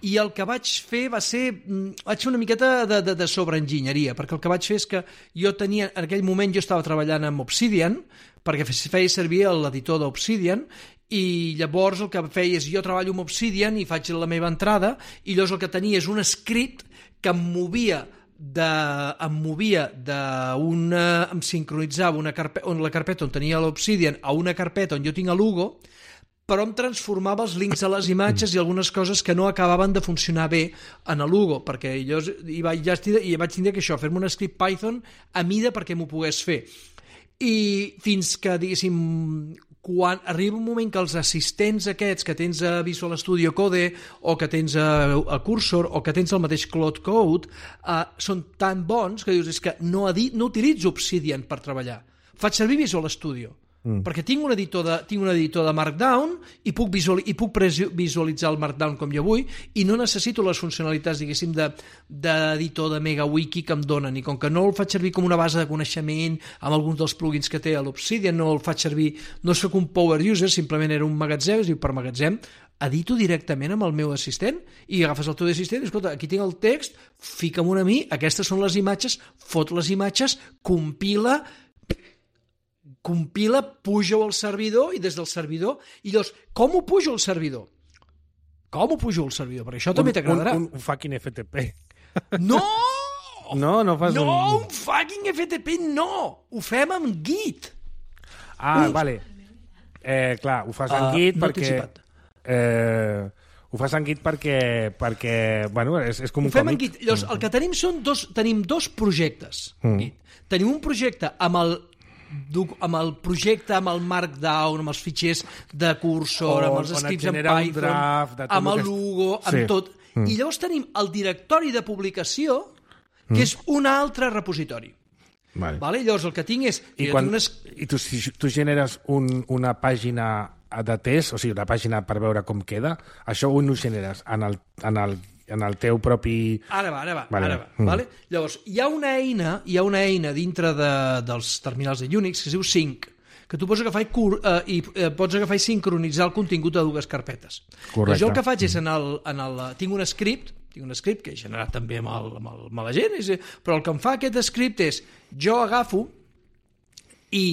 i el que vaig fer va ser... Vaig fer una miqueta de, de, de sobreenginyeria, perquè el que vaig fer és que jo tenia... En aquell moment jo estava treballant amb Obsidian, perquè feia servir l'editor d'Obsidian, i llavors el que feia és jo treballo amb Obsidian i faig la meva entrada, i llavors el que tenia és un script que em movia de, em movia d'una... em sincronitzava una carpeta, on la carpeta on tenia l'Obsidian a una carpeta on jo tinc a Lugo, però em transformava els links a les imatges i algunes coses que no acabaven de funcionar bé en el Lugo, perquè jo hi vaig, ja estic, i vaig tindre que això, fer-me un script Python a mida perquè m'ho pogués fer. I fins que, diguéssim, quan arriba un moment que els assistents aquests que tens a Visual Studio Code o que tens a, a Cursor o que tens el mateix Cloud Code uh, són tan bons que dius és que no, edi- no utilitzo Obsidian per treballar, faig servir Visual Studio mm. perquè tinc un editor de, tinc un editor de Markdown i puc, visual, i puc visualitzar el Markdown com jo vull i no necessito les funcionalitats, diguéssim, de, d'editor de MegaWiki que em donen, i com que no el faig servir com una base de coneixement amb alguns dels plugins que té a l'Obsidian, no el faig servir, no soc un power user, simplement era un magatzem, es diu per magatzem, edito directament amb el meu assistent i agafes el teu assistent i escolta, aquí tinc el text, fica'm una a mi, aquestes són les imatges, fot les imatges, compila, compila, puja-ho al servidor i des del servidor, i llavors, com ho pujo al servidor? Com ho pujo al servidor? Perquè això també t'agradarà. Un, un, un fucking F T P. No! No, no fas no, un... No, un fucking F T P no! Ho fem amb Git. Ah, un... vale. Eh, clar, ho fas en uh, Git no perquè... Eh, ho fas en Git perquè, perquè bueno, és, és com un ho fem còmic. En Git. Llavors, el que tenim són dos, tenim dos projectes. Mm. Git. Tenim un projecte amb el amb el projecte, amb el Markdown, amb els fitxers de Cursor, amb els scripts en Python, draft, amb el Lugo, amb sí. tot. Mm. I llavors tenim el directori de publicació, que mm. és un altre repositori. Vale. Vale? Llavors el que tinc és... I, quan, unes... i tu, si tu generes un, una pàgina de test, o sigui, una pàgina per veure com queda, això ho no generes en el, en el, en el teu propi... Ara va, ara va. Vale. Ara va mm. vale? Llavors, hi ha una eina, hi ha una eina dintre de, dels terminals de Unix que es diu Sync, que tu pots agafar i, cur, eh, i eh, pots agafar i sincronitzar el contingut de dues carpetes. Correcte. Jo el que faig és, en el, en el, tinc un script, tinc un script que he generat també amb, el, amb, el, amb la gent, és, però el que em fa aquest script és, jo agafo i...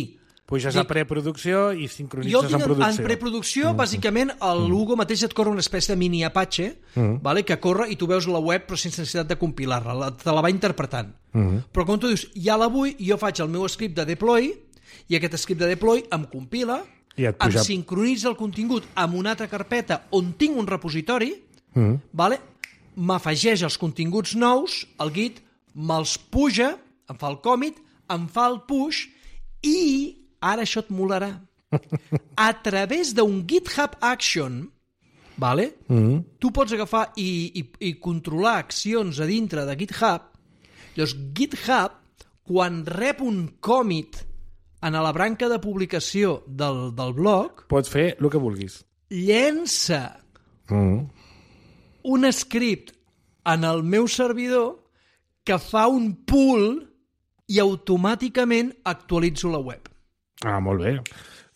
Puges dic, a preproducció i sincronitzes en producció. En preproducció, mm. bàsicament, el Lugo mateix et corre una espècie de mini Apache, mm. vale, que corre i tu veus la web però sense necessitat de compilar-la, la, te la va interpretant. Mm. Però quan tu dius, ja la vull, jo faig el meu script de deploy i aquest script de deploy em compila, em sincronitza el contingut amb una altra carpeta on tinc un repositori, mm. vale, m'afegeix els continguts nous, el Git me'ls puja, em fa el commit, em fa el push i... ara això et molarà. A través d'un GitHub Action, vale? Mm. tu pots agafar i, i, i controlar accions a dintre de GitHub. Llavors, GitHub, quan rep un commit en la branca de publicació del, del blog... Pots fer el que vulguis. Llença mm. un script en el meu servidor que fa un pull i automàticament actualitzo la web. Ah, molt bé.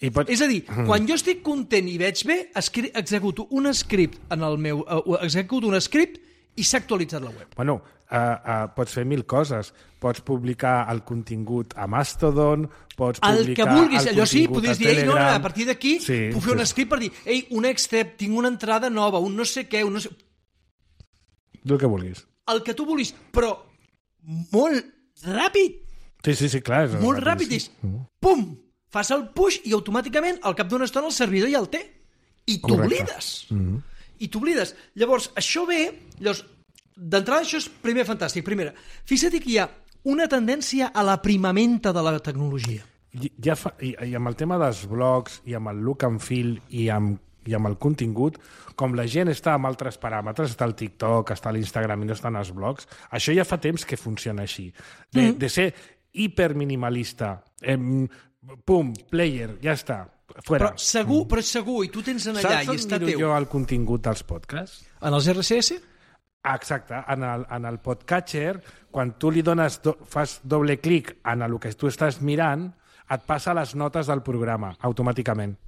I pot... És a dir, quan jo estic content i veig bé, escri- executo un script en el meu... Uh, executo un script i s'ha actualitzat la web. Bueno, uh, uh, pots fer mil coses. Pots publicar el contingut a Mastodon, pots El publicar que vulguis, el allò sí, contingut podries a dir, ei, no, no, Telegram. a partir d'aquí Sí, puc fer sí. un script per dir, ei, un extep, tinc una entrada nova, un no sé què, un no sé... El que vulguis. El que tu vulguis, però molt ràpid, Sí, sí, sí, clar. És molt ràpid, és pum, fas el push i automàticament al cap d'una estona el servidor ja el té. I t'oblides. Mm-hmm. I t'oblides. Llavors, això ve... Llavors, d'entrada, això és primer fantàstic. Primera, fixa't que hi ha una tendència a l'aprimamenta de la tecnologia. I, ja fa, i, I amb el tema dels blogs, i amb el look and feel, i amb, i amb el contingut, com la gent està amb altres paràmetres, està el TikTok, està l'Instagram i no estan els blogs, això ja fa temps que funciona així. De, mm. de ser hiperminimalista, em, pum, player, ja està, fuera. Però segur, però és segur, i tu tens en allà Saps i està on teu. miro jo el contingut dels podcasts? En els R S S? Ah, exacte, en el, en el podcatcher, quan tu li dones do, fas doble clic en el que tu estàs mirant, et passa les notes del programa, automàticament.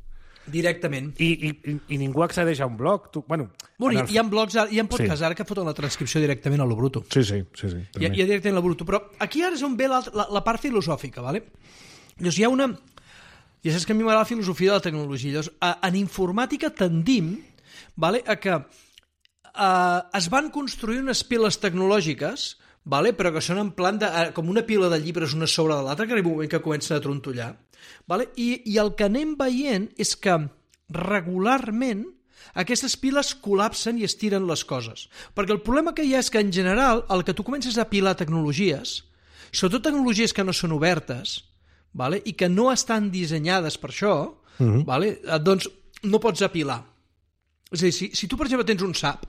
Directament. I, i, i ningú accedeix a un blog. Tu, bueno, Bueno, el... hi ha blogs, hi ha podcasts Sí. ara que foten la transcripció directament a lo bruto. Sí, sí, sí. sí Hi ha, hi ha directament a lo bruto. Però aquí ara és on ve la, la, la part filosòfica, ¿vale? Llavors hi ha una... Ja saps que a mi m'agrada la filosofia de la tecnologia. Llavors, a, en informàtica tendim, ¿vale?, a que a, es van construir unes piles tecnològiques, ¿vale?, però que són en plan de, a, com una pila de llibres una sobre de l'altra, que arriba un moment que comencen a trontollar. ¿Vale? I, I el que anem veient és que regularment aquestes piles col·lapsen i estiren les coses. Perquè el problema que hi ha és que, en general, el que tu comences a apilar tecnologies, sobretot tecnologies que no són obertes, ¿vale?, i que no estan dissenyades per això, uh-huh. ¿vale?, doncs no pots apilar. És a dir, si, si tu, per exemple, tens un S A P,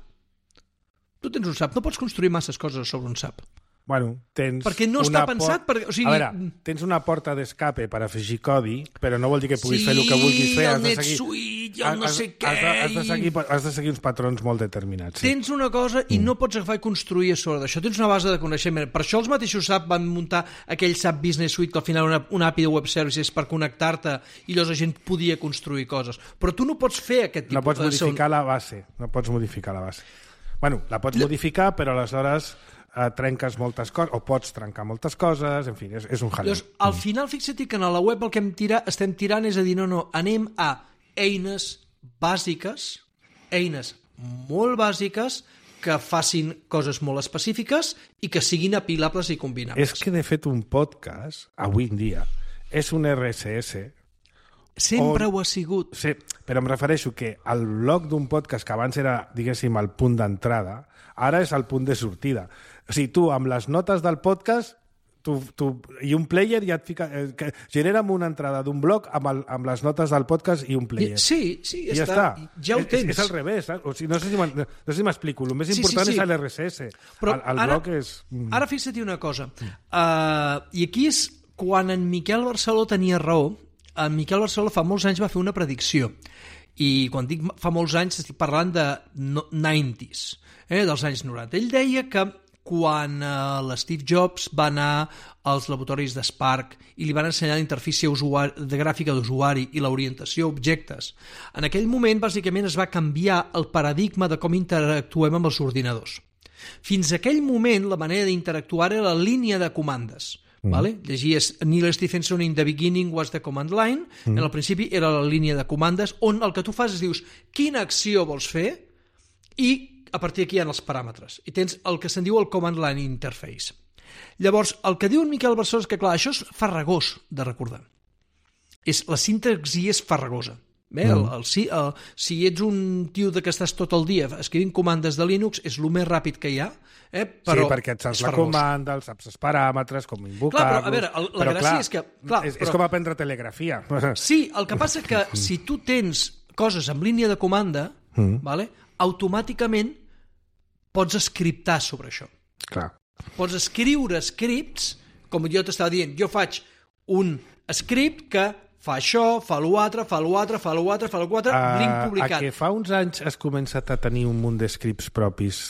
tu tens un S A P, no pots construir masses coses sobre un S A P. Bueno, tens perquè no una està pensat... Per... O sigui... A veure, tens una porta d'escape per afegir codi, però no vol dir que puguis sí, fer el que vulguis fer. el Has de seguir... NetSuite, i el no has, sé què... Has de, has, de seguir, has de seguir uns patrons molt determinats. Sí. Tens una cosa i mm. no pots agafar i construir a sobre d'això. Tens una base de coneixement. Per això els mateixos S A P van muntar aquell S A P Business Suite, que al final era una, una A P I de web services per connectar-te i llavors la gent podia construir coses. Però tu no pots fer aquest tipus... No pots modificar la base. No pots modificar la base. Bueno, la pots modificar, però aleshores... Uh, trenques moltes coses, o pots trencar moltes coses, en fi, és, és un jaleo. Llavors, al final, fixa't que a la web el que hem tira, estem tirant és a dir, no, no, anem a eines bàsiques, eines molt bàsiques, que facin coses molt específiques i que siguin apilables i combinables. És que, de fet, un podcast, avui en dia, és un R S S... Sempre on... ho ha sigut. Sí, però em refereixo que el blog d'un podcast que abans era, diguéssim, el punt d'entrada, ara és el punt de sortida. O sigui, tu, amb les notes del podcast, tu, tu, i un player ja et fica... Eh, que genera'm una entrada d'un blog amb, el, amb les notes del podcast i un player. Sí, sí, ja, ja està. està. Ja ho tens. És, és al revés. Eh? O sigui, no sé si no sé si m'explico. El més sí, important sí, sí. és l'R S S. Però el, el ara, blog és... Ara fixa't una cosa. Uh, I aquí és quan en Miquel Barceló tenia raó. En Miquel Barceló fa molts anys va fer una predicció. I quan dic fa molts anys estic parlant de noranta, eh, dels anys noranta. Ell deia que quan eh, l'Steve Jobs va anar als laboratoris de Spark i li van ensenyar la interfície usuari, de gràfica d'usuari i l'orientació a objectes, en aquell moment, bàsicament, es va canviar el paradigma de com interactuem amb els ordinadors. Fins a aquell moment, la manera d'interactuar era la línia de comandes. Mm. Vale? Llegies Neil Stephenson in the beginning was the command line. Mm. En el principi era la línia de comandes on el que tu fas és dius quina acció vols fer i a partir d'aquí hi ha els paràmetres. I tens el que se'n diu el command line interface. Llavors, el que diu en Miquel Barceló és que, clar, això és farragós de recordar. És, la sintaxi és farragosa. Bé, el, el, el, el, si ets un tio de que estàs tot el dia escrivint comandes de Linux, és el més ràpid que hi ha, eh? Però sí, perquè et saps la comanda, els saps els paràmetres, com invocar-los... Clar, però, a veure, el, la però, gràcia clar, és que... Clar, és, però... és com aprendre telegrafia. Sí, el que passa que si tu tens coses amb línia de comanda, mm. vale, automàticament pots scriptar sobre això. Clar. Pots escriure scripts, com jo t'estava dient, jo faig un script que fa això, fa l'altre, fa l'altre, fa l'altre, fa l'altre, uh, link publicat. A que fa uns anys has començat a tenir un munt de scripts propis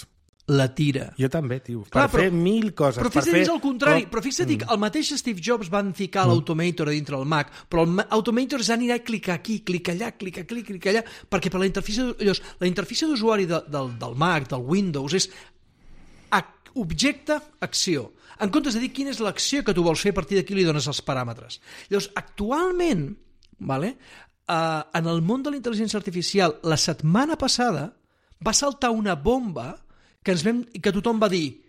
la tira. Jo també, tio. Clar, per però, fer mil coses. Però fixa't, fer... és el contrari. Però fixa't mm. que el mateix Steve Jobs van ficar mm. l'Automator a dintre del Mac, però l'Automator ja anirà a clicar aquí, clicar allà, clicar aquí, clicar allà, perquè per la interfície, la interfície d'usuari de, del, del Mac, del Windows, és objecte, acció. En comptes de dir quina és l'acció que tu vols fer, a partir d'aquí li dones els paràmetres. Llavors, actualment, vale, uh, en el món de la intel·ligència artificial, la setmana passada va saltar una bomba que, ens vam, que tothom va dir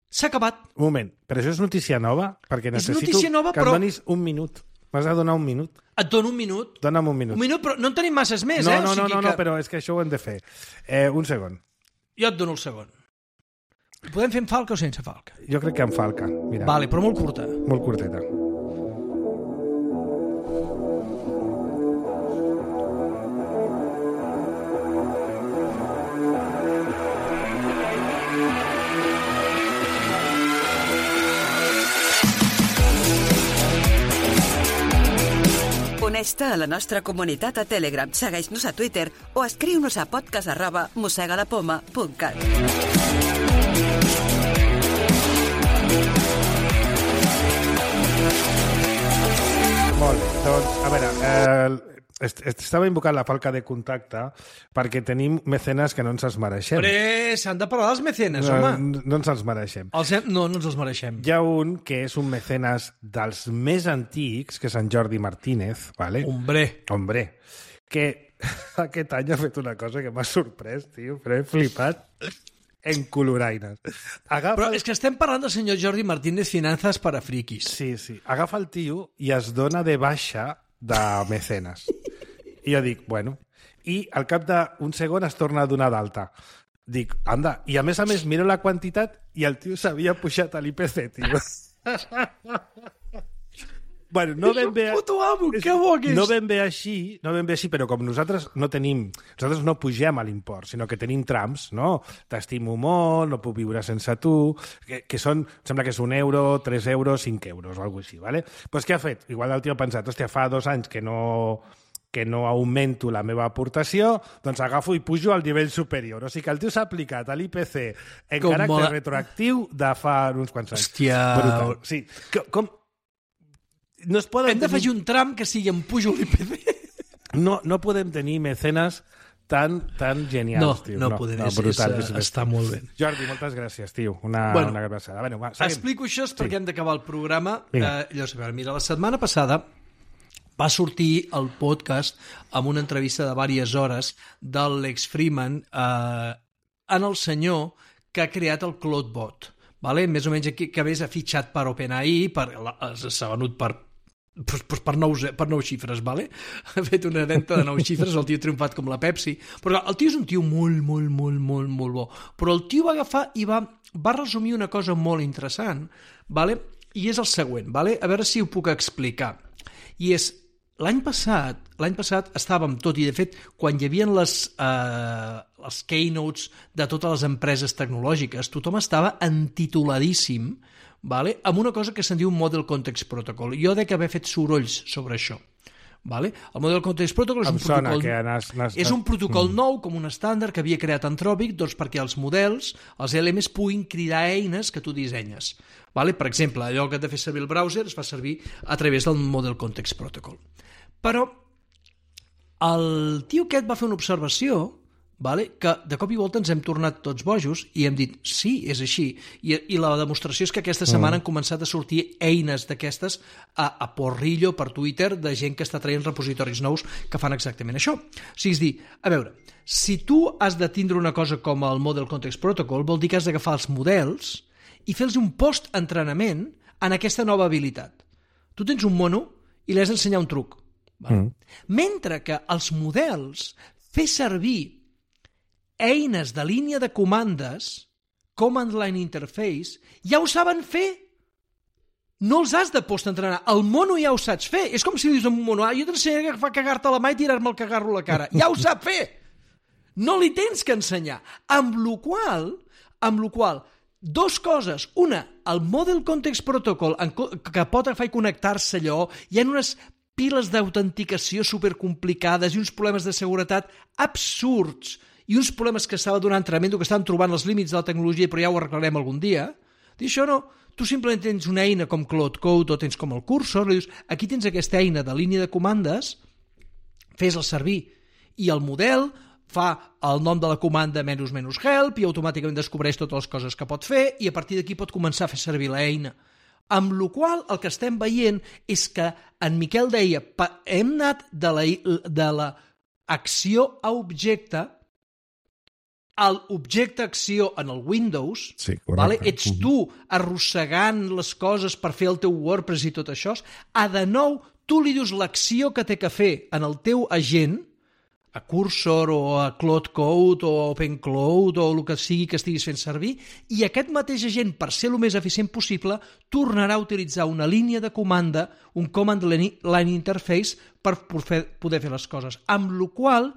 s'ha acabat. Un moment, però això és notícia nova? Perquè necessito nova, que però... em donis un minut. M'has de donar un minut. Et dono un minut? Dona'm un minut. Un minut, però no en tenim masses més, no, eh? No, o sigui no, no, que... no, però és que això ho hem de fer. Eh, un segon. Jo et dono el segon. Podem fer amb falca o sense falca? Jo crec que amb falca. Mira. Vale, però molt curta. Molt curteta. Uneix-te a la nostra comunitat a Telegram, segueix-nos a Twitter o escriu-nos a podcast arroba mossegadapoma punt cat. Molt bé, doncs, a veure, eh, est estava invocant la falca de contacte perquè tenim mecenes que no ens els mereixem. Però s'han de parlar dels mecenes, no, home. No, no ens els mereixem. Els hem... No, no ens els mereixem. Hi ha un que és un mecenes dels més antics, que és en Jordi Martínez, ¿vale? Hombre. Hombre, que aquest any ha fet una cosa que m'ha sorprès, tio, però he flipat en coloraines. Agafa... Però és que estem parlant del senyor Jordi Martínez, Finanzas para Frikis. Sí, sí. Agafa el tio i es dona de baixa de mecenes. I jo dic, bueno... I al cap d'un segon es torna a donar d'alta. Dic, anda. I a més a més miro la quantitat i el tio s'havia pujat a l'I P C, tio. Bueno, no ben bé... Puto amo, que bo que és! No ben bé així, no ben bé així, però com nosaltres no tenim... Nosaltres no pugem a l'import, sinó que tenim trams, no? T'estimo molt, no puc viure sense tu, que, que són, sembla que és un euro, tres euros, cinc euros, o alguna cosa així, ¿vale? Pues què ha fet? Igual el tio ha pensat, hòstia, fa dos anys que no... que no augmento la meva aportació, doncs agafo i pujo al nivell superior. O sigui que el tio s'ha aplicat a l'I P C en com caràcter mola... retroactiu de fa uns quants anys. Hòstia... Brutal. Sí. Com... com... No es poden Hem d'afegir tenir... un tram que sigui en pujo l'I P C. No, no podem tenir mecenes tan, tan genials, no, tio. No, no podem. No, brutal, és, és, està molt bé. Jordi, moltes gràcies, tio. Una, bueno, una abraçada. Bueno, va, explico això sí. perquè hem d'acabar el programa. Eh, llavors, mira, la setmana passada va sortir el podcast amb una entrevista de diverses hores de l'Lex Fridman eh, en el senyor que ha creat el CloudBot. Vale? Més o menys aquí, que ha fitxat per OpenAI, per, s'ha venut per Per, per, nou, per nou xifres, vale? Ha fet una venda de nou xifres, el tio ha triomfat com la Pepsi. Però el tio és un tio molt, molt, molt, molt, molt bo. Però el tio va agafar i va, va resumir una cosa molt interessant, vale? I és el següent, vale? A veure si ho puc explicar. I és, l'any passat, l'any passat estàvem tot, i de fet, quan hi havia les, eh, les keynotes de totes les empreses tecnològiques, tothom estava entituladíssim, vale? Amb una cosa que se'n diu Model Context Protocol. Jo dec haver fet sorolls sobre això. Vale? El Model Context Protocol és un protocol, que nas, nas, és un protocol mm. nou, com un estàndard que havia creat Anthropic, doncs perquè els models, els L Ms, puguin cridar eines que tu dissenyes. Vale? Per exemple, allò que ha de fer servir el browser es fa servir a través del Model Context Protocol. Però el tio aquest va fer una observació, vale? Que de cop i volta ens hem tornat tots bojos i hem dit, sí, és així. I, i la demostració és que aquesta setmana mm. han començat a sortir eines d'aquestes a, a porrillo per Twitter de gent que està traient repositoris nous que fan exactament això. O sigui, és dir, a veure, si tu has de tindre una cosa com el Model Context Protocol, vol dir que has d'agafar els models i fer-los un post-entrenament en aquesta nova habilitat. Tu tens un mono i li has d'ensenyar un truc. Vale? Mm. Mentre que els models fer servir eines de línia de comandes, Command Line Interface, ja ho saben fer. No els has de post-entrenar. El mono ja ho saps fer. És com si dius a un mono, ah, jo t'ensenyaré a cagar-te la mà i tirar-me el cagarro a la cara. Ja ho sap fer. No li tens que ensenyar. Amb lo qual, amb lo qual, dos coses. Una, el Model Context Protocol, que pot agafar i connectar-se allò, hi ha unes piles d'autenticació supercomplicades i uns problemes de seguretat absurds i uns problemes que estava donant tremendo, que estaven trobant els límits de la tecnologia, però ja ho arreglarem algun dia, dir això no, tu simplement tens una eina com Cloud Code o tens com el cursor, i dius, aquí tens aquesta eina de línia de comandes, fes-la servir, i el model fa el nom de la comanda menys menys help i automàticament descobreix totes les coses que pot fer i a partir d'aquí pot començar a fer servir l'eina. Amb la qual el que estem veient és que en Miquel deia hem anat de la, de la acció a objecte a l'objecte-acció en el Windows, sí, vale? Ets tu arrossegant les coses per fer el teu WordPress i tot això, a de nou tu li dius l'acció que té que fer en el teu agent, a Cursor o a Cloud Code o a OpenCloud o el que sigui que estiguis fent servir, i aquest mateix agent, per ser el més eficient possible, tornarà a utilitzar una línia de comanda, un Command Line Interface, per poder fer les coses. Amb la qual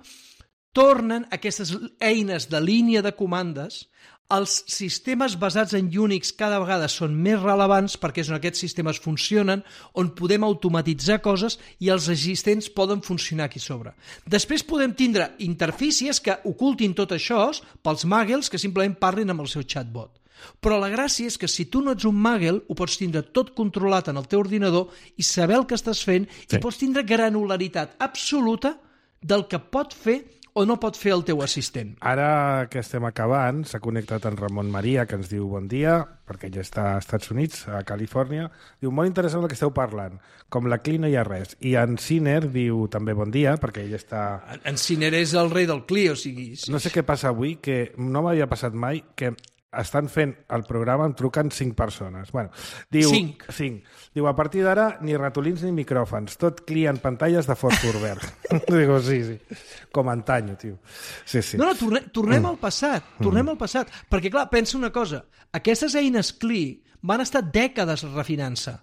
tornen aquestes eines de línia de comandes. Els sistemes basats en Unix cada vegada són més rellevants perquè és on aquests sistemes funcionen, on podem automatitzar coses i els existents poden funcionar aquí sobre. Després podem tindre interfícies que ocultin tot això pels muggles que simplement parlin amb el seu chatbot. Però la gràcia és que si tu no ets un muggle ho pots tindre tot controlat en el teu ordinador i saber el que estàs fent sí. I pots tindre granularitat absoluta del que pot fer o no pot fer el teu assistent. Ara que estem acabant, s'ha connectat en Ramon Maria, que ens diu bon dia, perquè ella està als Estats Units, a Califòrnia. Diu, molt interessant el que esteu parlant. Com la C L I no hi ha res. I en Siner diu també bon dia, perquè ell està... En Siner és el rei del C L I, o sigui... Sí. No sé què passa avui, que no m'havia passat mai, que estan fent el programa, em truquen cinc persones. Bueno, diu, cinc? Cinc. Diu, a partir d'ara, ni ratolins ni micròfons, tot C L I en pantalles de fòsfor verd. Digo, sí, sí, com antanyo, tio. Sí, sí. No, no, torne, tornem mm. al passat, tornem mm. al passat. Perquè, clar, pensa una cosa, aquestes eines C L I van estar dècades refinant-se.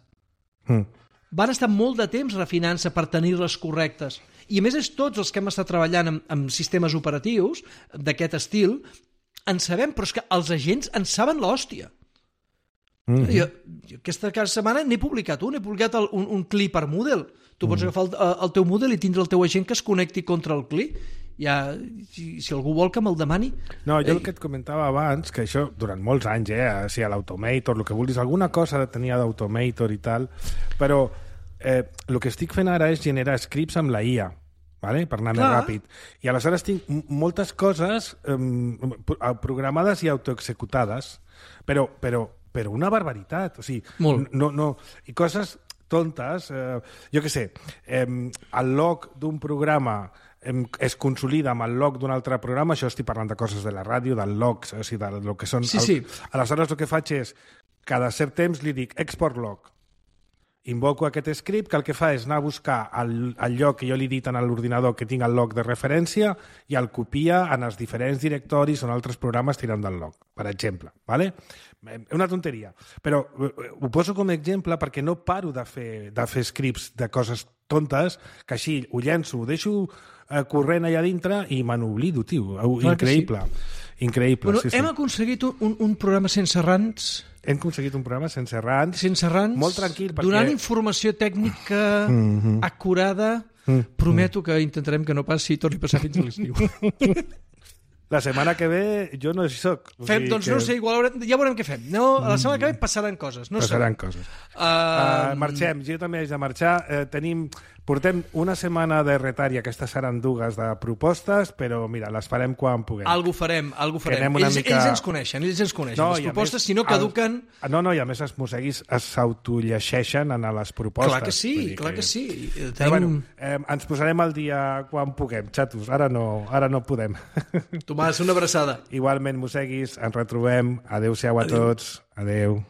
Mm. Van estar molt de temps refinant-se per tenir-les correctes. I, a més, és tots els que hem estat treballant amb, amb sistemes operatius d'aquest estil, en sabem, però és que els agents en saben l'hòstia. Mm-hmm. Jo, jo aquesta setmana n'he publicat un, he publicat el, un, un C L I per Moodle. Tu pots mm. agafar el, el teu Moodle i tindre el teu agent que es connecti contra el C L I. Ja, si, si algú vol que me'l demani... No, jo Ei. el que et comentava abans, que això durant molts anys, eh, o sigui, l'Automator, el que vulguis, alguna cosa tenia d'Automator i tal, però eh, el que estic fent ara és generar scripts amb la I A, vale? Per anar Clar. més ràpid. I aleshores tinc moltes coses eh, programades i autoexecutades, però, però, però una barbaritat. O sigui, Molt. no, no, i coses tontes, eh, jo què sé, eh, el log d'un programa eh, es consolida amb el log d'un altre programa, això estic parlant de coses de la ràdio, del log, o sigui, del que són... Sí, el, sí. Aleshores el que faig és, cada cert temps li dic export log. Invoco aquest script que el que fa és anar a buscar el, el lloc que jo li he dit en l'ordinador que tinc el log de referència i el copia en els diferents directoris on altres programes tiren del log, per exemple. Vale? Una tonteria. Però ho poso com a exemple perquè no paro de fer, de fer scripts de coses tontes que així ho llenço, ho deixo eh, corrent allà dintre i me n'oblido, tio. Clar Increïble. Sí. Increïble. Bueno, sí, hem sí. aconseguit un, un programa sense rants... Hem aconseguit un programa sense rants. Sense rants. Molt tranquil. Perquè... Donant informació tècnica mm-hmm. acurada. Mm-hmm. Prometo que intentarem que no passi i torni a passar fins a l'estiu. La setmana que ve jo no hi soc. O fem, sigui doncs que... no sé, igual haurem, ja veurem què fem. No, la setmana que ve passaran coses. No passaran sabem. coses. Uh... Uh, marxem, jo també haig de marxar. Uh, tenim, portem una setmana de retard i aquestes seran dues de propostes, però mira, les farem quan puguem. Algo farem, algo farem. Ells, mica... ells ens coneixen, ells ens coneixen. No, les propostes, més, si no caduquen... El... No, no, i a més els mosseguis s'autollegeixen en les propostes. Clar que sí, clar que, que sí. Tenim... Però, bueno, eh, ens posarem al dia quan puguem, xatos. Ara no, ara no podem. Tomàs, una abraçada. Igualment, mosseguis, ens retrobem. Adéu-siau a Adéu. tots. Adéu.